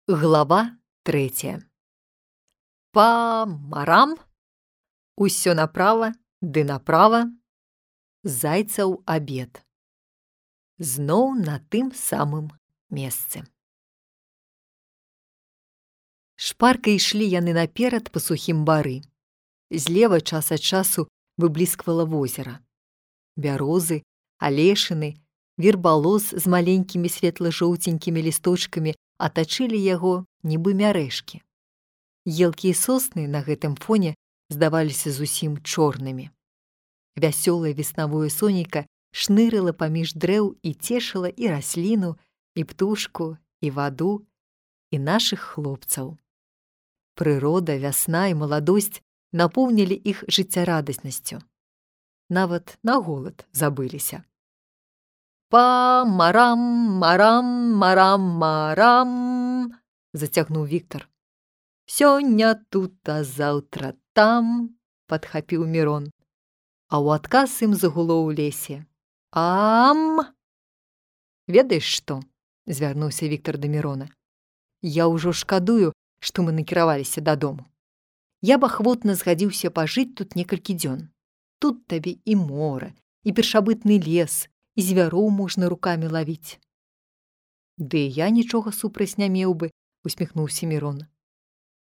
Глава 3. Па-марам, усё направа ды направа, зайцаў абед. Зноў на тым самым месцы. Шпарка ішлі яны наперад па сухім бары. Злева час ад часу выблісквала возера. Бярозы, алешыны, вербалоз з маленькімі светла-жоўценькімі лісточкамі атачылі яго, нібы мярэшкі. Елкі і сосны на гэтым фоне здаваліся зусім чорнымі. Вясёлае веснавое сонейка шнырыла паміж дрэў і цешыла і расліну, і птушку, і ваду, і нашых хлопцаў. Прырода, вясна і маладосць напоўнілі іх жыццярадаснасцю. Нават на голад забыліся. «Па-марам, марам, марам, марам!» – зацягнуў Віктар. «Сёння тут, а заўтра там!» – падхапіў Мірон. А ў адказ ім загуло ў лесе. «Ам!» «Ведаеш што?» – звярнуўся Віктар да Мірона. «Я ўжо шкадую, што мы накіраваліся дадому. Я б ахвотна згадзіўся пажыць тут некалькі дзён. Тут табе і мора, і першабытны лес, і звяроў можна рукамі лавіць». «Ды я нічога супраць не меў бы», – усміхнуўся Мірон.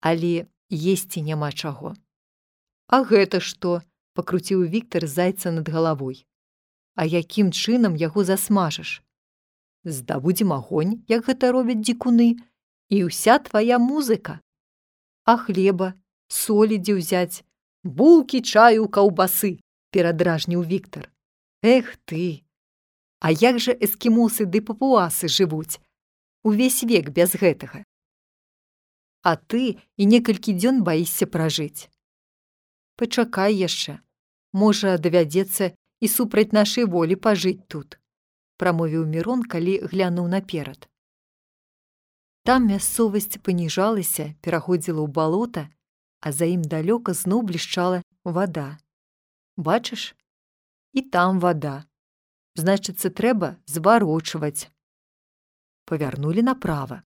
«Але есці няма чаго». «А гэта што?» – пакруціў Віктар зайца над галавой. «А якім чынам яго засмажаш?» «Здабудзем агонь, як гэта робяць дзікуны, і ўся твая музыка». «А хлеба, солі дзе ўзяць? Булкі, чаю, каўбасы!» – перадражніў Віктар. «Эх ты! А як жа эскімосы ды папуасы жывуць? Увесь век без гэтага. А ты і некалькі дзён баішся пражыць. Пачакай яшчэ. Можа, давядзецца і супраць нашай волі пажыць тут», – прамовіў Мірон, калі глянуў наперад. Там мясцовасць паніжалася, пераходзіла ў балота, а за ім далёка зноў блішчала вада. «Бачыш? І там вада. Значыцца, трэба зварочваць». Павярнулі направа.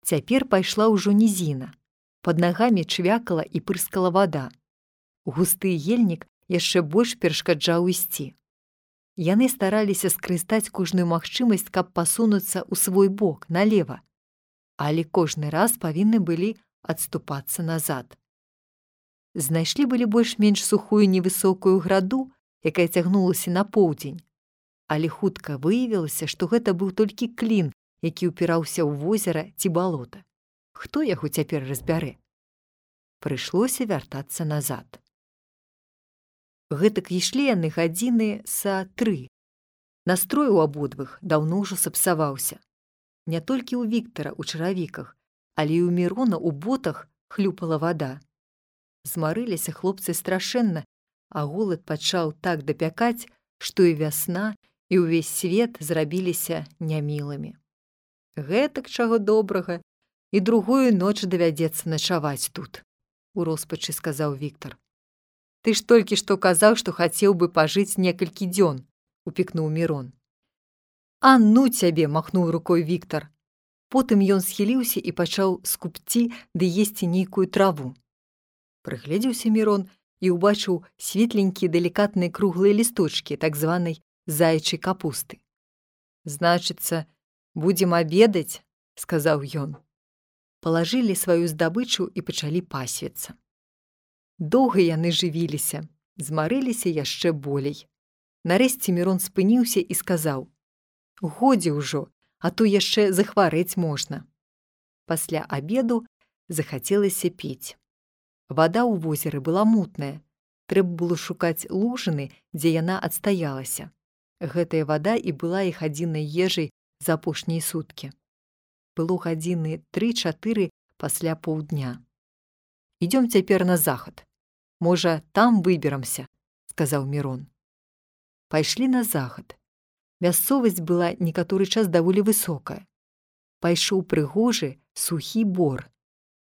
Цяпер пайшла ўжо нізіна. Пад нагамі чвякала і пырскала вада. Густы ельнік яшчэ больш перашкаджаў ісці. Яны стараліся скарыстаць кожную магчымасць, каб пасунуцца ў свой бок, налева, але кожны раз павінны былі адступацца назад. Знайшлі былі больш-менш сухую невысокую граду, якая цягнулася на поўдзень, але хутка выявілася, што гэта быў толькі клін, які ўпіраўся ў возера ці балота. Хто яго цяпер разбярэ? Прыйшлося вяртацца назад. Гэтак ішлі яны гадзіны са 3. Настрой у абодвых даўно ўжо сапсаваўся. Не толькі ў Віктара ў чаравіках, але і ў Мірона ў ботах хлюпала вада. Змарыліся хлопцы страшэнна, а голад пачаў так дапякаць, што і вясна, і ўвесь свет зрабіліся нямілымі. «Гэтак чаго добрага, і другую ноч давядзецца начаваць тут», – у роспачы сказаў Віктар. «Ты ж толькі што казаў, што хацеў бы пажыць некалькі дзён», – упікнуў Мірон. «А ну цябе!» – махнуў рукой Віктар. Потым ён схіліўся і пачаў скубці ды есці нейкую траву. Прыгледзеўся Мірон і ўбачыў светленькія далікатныя круглыя лісточкі так званай заячай капусты. «Значыцца, будзем абедаць», – сказаў ён. Палажылі сваю здабычу і пачалі пасвіцца. Доўга яны жывіліся, змарыліся яшчэ болей. Нарэшце Мірон спыніўся і сказаў: «Годзе ўжо, а то яшчэ захварэць можна». Пасля абеду захацелася піць. Вада ў возеры была мутная. Трэба было шукаць лужыны, дзе яна адстаялася. Гэтая вада і была іх адзінай ежай за апошнія суткі. Было гадзіны 3-4 пасля паўдня. «Ідём цяпер на захад. Можа, там выберамся», – сказаў Мірон. Пайшлі на захад. Мясцовасць была некаторы час даволі высокая. Пайшоў прыгожы сухі бор,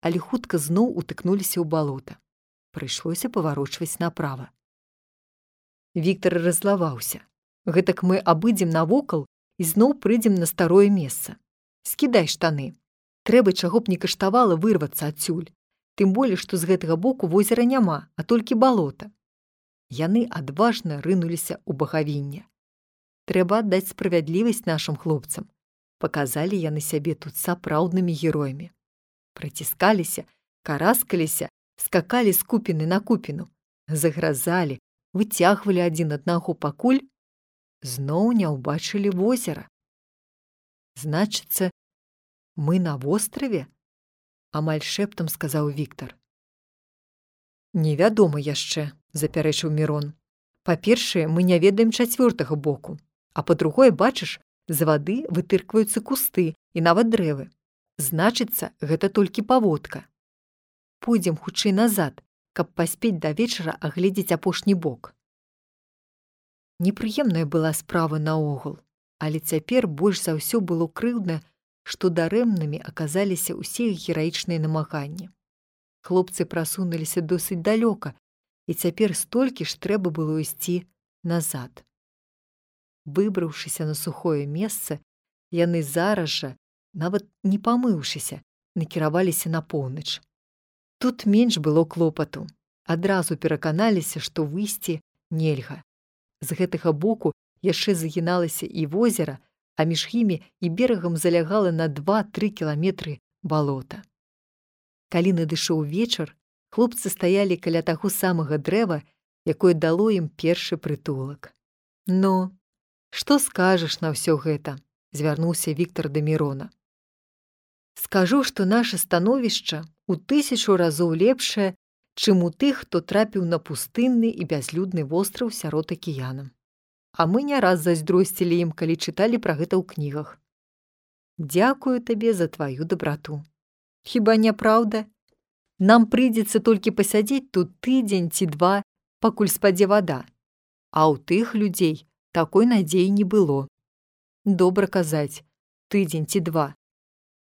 але хутка зноў утыкнуліся ў балота. Прыйшлося паварочваць направа. Віктар раззлаваўся. «Гэтак мы абыдзем навокал і зноў прыйдзем на старое месца. Скідай штаны. Трэба чаго б не каштавала вырвацца адсюль, тым болей, што з гэтага боку возера няма, а толькі балота. Яны адважна рынуліся ў багавінне. Трэба аддаць справядлівасць нашым хлопцам. Паказалі яны сябе тут сапраўднымі героямі. Прыціскаліся, караскаліся, скакалі з купіны на купіну, загразалі, выцягвалі адзін аднаго, пакуль зноў не ўбачылі возера. Значыцца, мы на востраве? Амаль шэптам сказаў Віктар. Невядома яшчэ, запярэчыў Мірон. Па-першае, мы не ведаем чацвёртага боку, а па-другое, бачыш, з вады вытыркваюцца кусты і нават дрэвы. Значыцца, гэта толькі паводка. Пойдзем хутчэй назад, каб паспець да вечара агледзець апошні бок. Непрыемная была справа наогул, але цяпер больш за ўсё было крыўдна, што дарэмнымі аказаліся ўсе іх гераічныя намаганні. Хлопцы прасунуліся досыць далёка, і цяпер столькі ж трэба было ісці назад. Выбраўшыся на сухое месца, яны зараз жа, нават не памыўшыся, накіраваліся на поўнач. Тут менш было клопату. Адразу пераканаліся, што выйсці нельга. З гэтага боку яшчэ загіналася і возера, а між імі і берагам залягала на 2-3 кіламетры балота. Калі надышоў вечар, хлопцы стаялі каля таго самага дрэва, якое дало ім першы прытулак. «Ну, што скажаш на ўсё гэта?» – звярнуўся Віктар да Мірона. «Скажу, што наша становішча ў 1000 разоў лепшае, чым у тых, хто трапіў на пустынны і бязлюдны востраў сярод акіяна. А мы не раз зайздросцілі ім, калі чыталі пра гэта ў кнігах. Дзякую табе за тваю дабрату. Хіба не праўда? Нам прыйдзецца толькі пасядзець тут тыдзень ці 2, пакуль спадзе вада. А ў тых людзей такой надзеі не было. Добра казаць, тыдзень ці 2.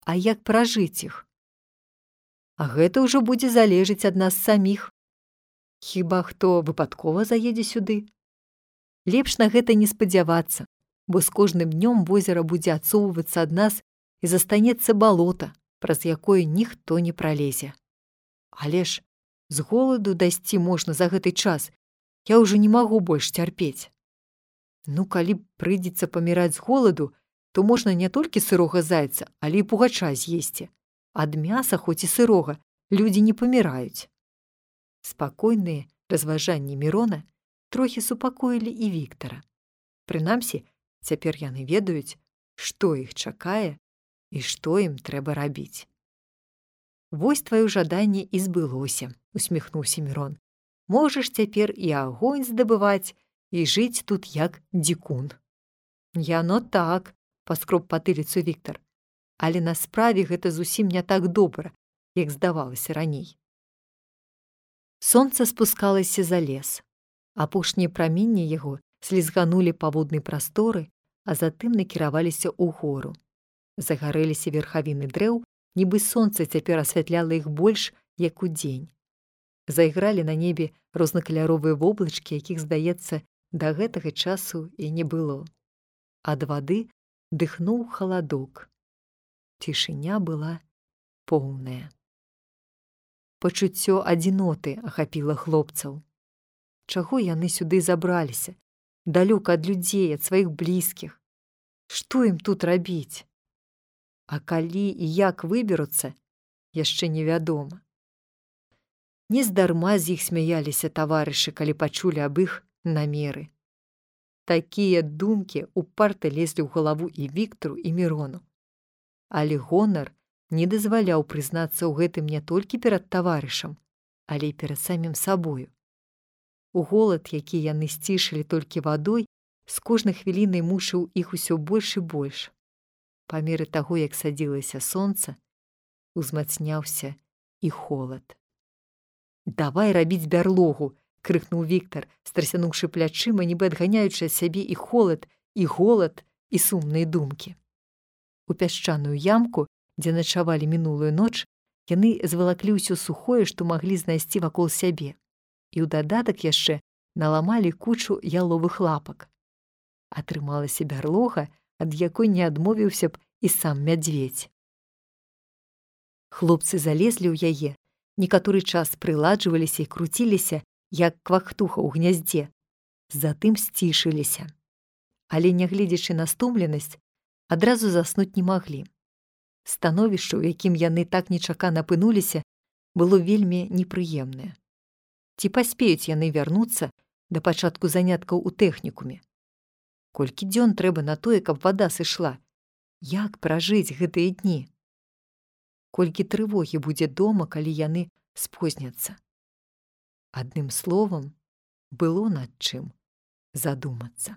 А як пражыць іх? А гэта ўжо будзе залежыць ад нас саміх. Хіба хто выпадкова заедзе сюды? Лепш на гэта не спадзявацца, бо з кожным днём возера будзе адсоўвацца ад нас і застанецца балота, праз якое ніхто не пралезе. Але ж з голаду дайсці можна за гэты час, я ўжо не магу больш цярпець. Ну, калі прыйдзецца паміраць з голаду, то можна не толькі сырога зайца, але і пугача з'есці. Ад мяса, хоць і сырога, людзі не паміраюць. Спакойныя разважанні Мірона трохі супакоілі і Віктара. Прынамсі, цяпер яны ведаюць, што іх чакае і што ім трэба рабіць. «Вось тваё жаданне і збылося», – усміхнуўся Мірон. «Можаш цяпер і агонь здабываць, і жыць тут як дзікун». «Яно так», – паскроб патыліцу Віктар. «Але на справе гэта зусім не так добра, як здавалася раней». Сонца спускалася за лес. Апошнія праменні яго слізганулі па воднай прасторы, а затым накіраваліся ў гору. Загарэліся верхавіны дрэў, нібы сонца цяпер асвятляла іх больш, як удзень. Зайгралі на небе рознакаляровыя воблачкі, якіх, здаецца, да гэтага часу і не было. Ад вады дыхнуў халадок. Цішыня была поўная. Пачуццё адзіноты ахапіла хлопцаў. Чаго яны сюды забраліся? Далёка ад людзей, ад сваіх блізкіх. Што ім тут рабіць? А калі і як выберуцца, яшчэ невядома. Нездарма з іх смяяліся таварышы, калі пачулі аб іх намеры. Такія думкі упарта лезлі ў галаву і Віктару, і Мірону. Але гонар не дазваляў прызнацца ў гэтым не толькі перад таварышам, але і перад самім сабою. У голад, які яны сцішылі толькі вадой, з кожнай хвілінай мучыў іх усё больш і больш. Па меры таго, як садзілася сонца, узмацняўся і холад. «Давай рабіць бярлогу!» – крыкнуў Віктар, страсянуўшы плячыма, нібы адганяючы ад сябе і холад, і голад, і сумныя думкі. У пясчаную ямку, дзе начавалі мінулую ноч, яны звалаклі ўсё сухое, што маглі знайсці вакол сябе. І ў дадатак яшчэ наламалі кучу яловых лапак. Атрымалася бярлога, ад якой не адмовіўся б і сам мядзведзь. Хлопцы залезлі ў яе, некаторы час прыладжваліся і круціліся, як квактуха ў гняздзе, затым сцішыліся. Але, нягледзячы на стомленасць, адразу заснуць не маглі. Становішча, у якім яны так нечакана апынуліся, было вельмі непрыемнае. Ці паспеюць яны вярнуцца да пачатку заняткаў у тэхнікуме? Колькі дзён трэба на тое, каб вада сышла? Як пражыць гэтыя дні? Колькі трывогі будзе дома, калі яны спозняцца? Адным словам, было над чым задумацца.